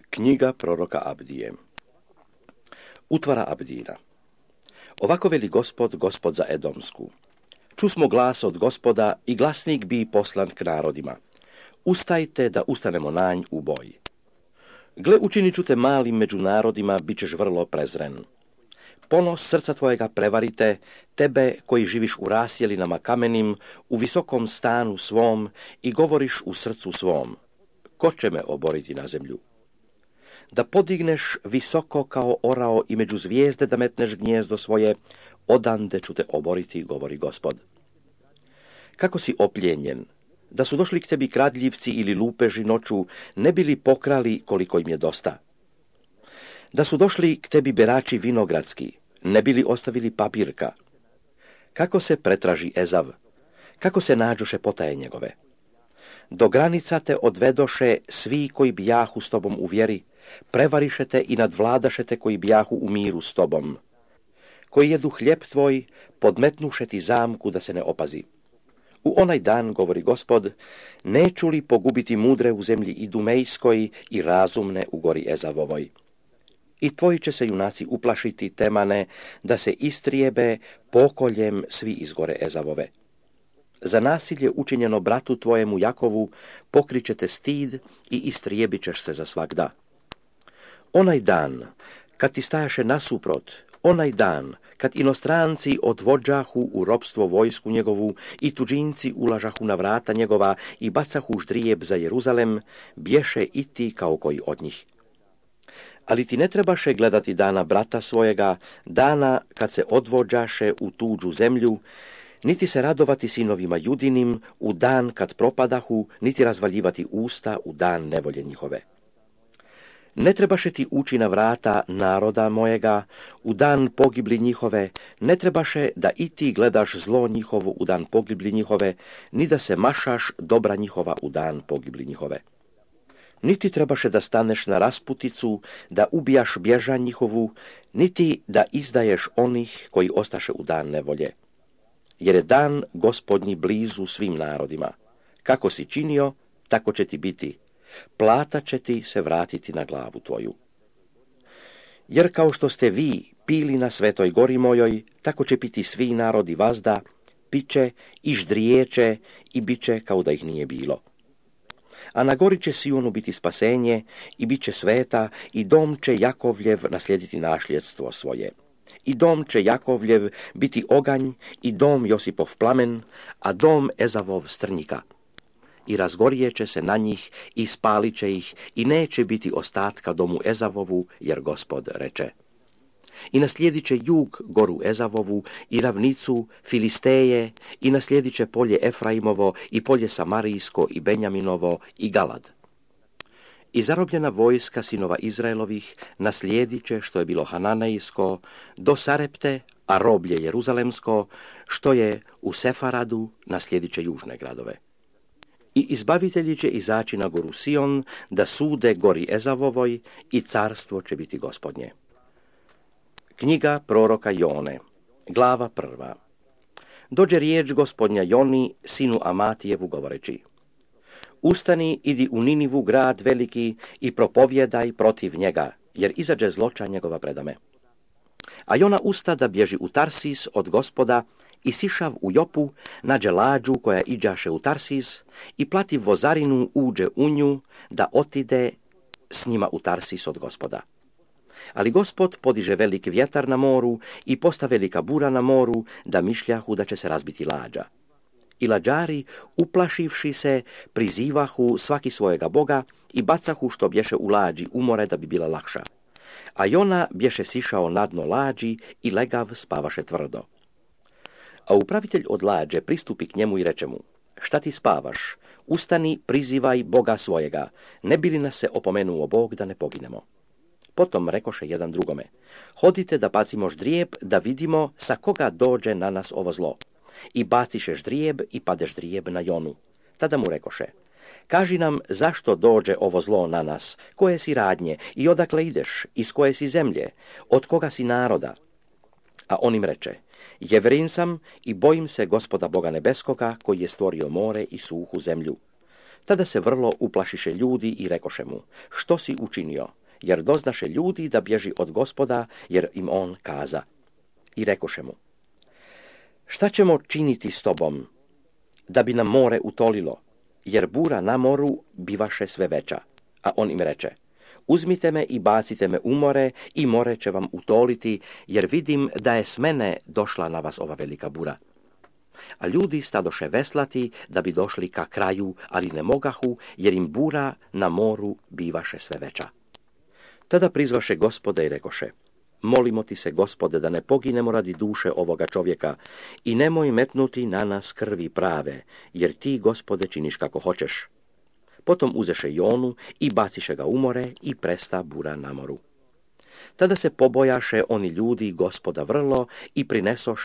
Knjiga proroka Abdije. Utvara Abdina. Ovako veli Gospod, Gospod za Edomsku. Čusmo glas od Gospoda i glasnik bi poslan k narodima. Ustajte da ustanemo na nj u boj. Gle, učinit ću te malim među narodima, bit ćeš vrlo prezren. Ponos srca tvojega prevarite, tebe koji živiš u rasjelinama kamenim, u visokom stanu svom i govoriš u srcu svom. Ko će me oboriti na zemlju? Da podigneš visoko kao orao i među zvijezde da metneš gnjezdo svoje, odande ću te oboriti, govori Gospod. Kako si opljenjen, da su došli k tebi kradljivci ili lupeži noću, ne bili pokrali koliko im je dosta. Da su došli k tebi berači vinogradski, ne bili ostavili papirka. Kako se pretraži Ezav, kako se nađoše potaje njegove. Do granica te odvedoše svi koji bijahu s tobom u vjeri, prevarišete i nadvladašete koji bijahu u miru s tobom. Koji jedu hljeb tvoj, podmetnuše ti zamku da se ne opazi. U onaj dan, govori Gospod, neću li pogubiti mudre u zemlji Idumejskoj i razumne u gori Ezavovoj. I tvoji će se junaci uplašiti, Temane, da se istrijebe pokoljem svi iz gore Ezavove. Za nasilje učinjeno bratu tvojemu Jakovu pokrićete stid i istrijebit ćeš se za svagda. Onaj dan, kad ti stajaše nasuprot, onaj dan, kad inostranci odvođahu u ropstvo vojsku njegovu i tuđinci ulažahu na vrata njegova i bacahu ždrijeb za Jeruzalem, bješe i ti kao koji od njih. Ali ti ne trebaše gledati dana brata svojega, dana kad se odvođaše u tuđu zemlju, niti se radovati sinovima Judinim u dan kad propadahu, niti razvaljivati usta u dan nevolje njihove. Ne trebaše ti ući na vrata naroda mojega u dan pogibli njihove, ne trebaše da i ti gledaš zlo njihovo u dan pogibli njihove, ni da se mašaš dobra njihova u dan pogibli njihove. Niti trebaše da staneš na rasputicu, da ubijaš bježa njihovu, niti da izdaješ onih koji ostaše u dan nevolje. Jer je dan Gospodnji blizu svim narodima. Kako si činio, tako će ti biti. Plata će ti se vratiti na glavu tvoju. Jer kao što ste vi pili na svetoj gori mojoj, tako će piti svi narodi vazda, piće i ždrijeće i bit će kao da ih nije bilo. A na gori će Sionu biti spasenje i bit će sveta i dom će Jakovljev naslijediti našljedstvo svoje. I dom će Jakovljev biti oganj i dom Josipov plamen, a dom Ezavov strnjika. I razgorijet će se na njih i spalit će ih i neće biti ostatka domu Ezavovu, jer Gospod reče. I naslijedit će jug goru Ezavovu i ravnicu Filisteje i naslijedit će polje Efraimovo i polje Samarijsko i Benjaminovo i Galad. I zarobljena vojska sinova Izraelovih naslijedit će što je bilo Hananejsko do Sarepte, a roblje Jeruzalemsko što je u Sefaradu naslijedit će južne gradove. I izbavitelji će izaći na goru Sion da sude gori Ezavovoj i carstvo će biti Gospodnje. Knjiga proroka Jone, glava 1. Dođe riječ Gospodnja Joni, sinu Amatijevu, govoreći: Ustani, idi u Ninivu, grad veliki, i propovjedaj protiv njega, jer izađe zloča njegova predame. A Jona usta da bježi u Tarsis od Gospoda i sišav u Jopu, nađe lađu koja iđaše u Tarsis i plati vozarinu uđe u nju da otide s njima u Tarsis od Gospoda. Ali Gospod podiže velik vjetar na moru i posta velika bura na moru da mišljahu da će se razbiti lađa. I lađari, uplašivši se, prizivahu svaki svojega boga i bacahu što bješe u lađi u more da bi bila lakša. A Jona bješe sišao na dno lađi i legav spavaše tvrdo. A upravitelj od lađe pristupi k njemu i reče mu: Šta ti spavaš? Ustani, prizivaj Boga svojega, ne bi li nas se opomenuo Bog da ne poginemo. Potom rekoše jedan drugome: Hodite da bacimo ždrijeb, da vidimo sa koga dođe na nas ovo zlo. I baciše ždrijeb i pade ždrijeb na Jonu. Tada mu rekoše: Kaži nam zašto dođe ovo zlo na nas, koje si radnje i odakle ideš, iz koje si zemlje, od koga si naroda. A on im reče: Jevrin sam i bojim se Gospoda Boga nebeskoga, koji je stvorio more i suhu zemlju. Tada se vrlo uplašiše ljudi i rekoše mu: Što si učinio? jer doznaše ljudi da bježi od Gospoda, jer im on kaza. I rekoše mu: šta ćemo činiti s tobom, da bi nam more utolilo, jer bura na moru bivaše sve veća. A on im reče: uzmite me i bacite me u more, i more će vam utoliti, jer vidim da je s mene došla na vas ova velika bura. A ljudi stadoše veslati da bi došli ka kraju, ali ne mogahu, jer im bura na moru bivaše sve veća. Tada prizvaše Gospoda i rekoše: molimo ti se, Gospode, da ne poginemo radi duše ovoga čovjeka, i nemoj metnuti na nas krvi prave, jer ti, Gospode, činiš kako hoćeš. Potom uzeše Jonu i baciše ga u more, i presta bura na moru. Tada se pobojaše oni ljudi Gospoda vrlo i prinesoše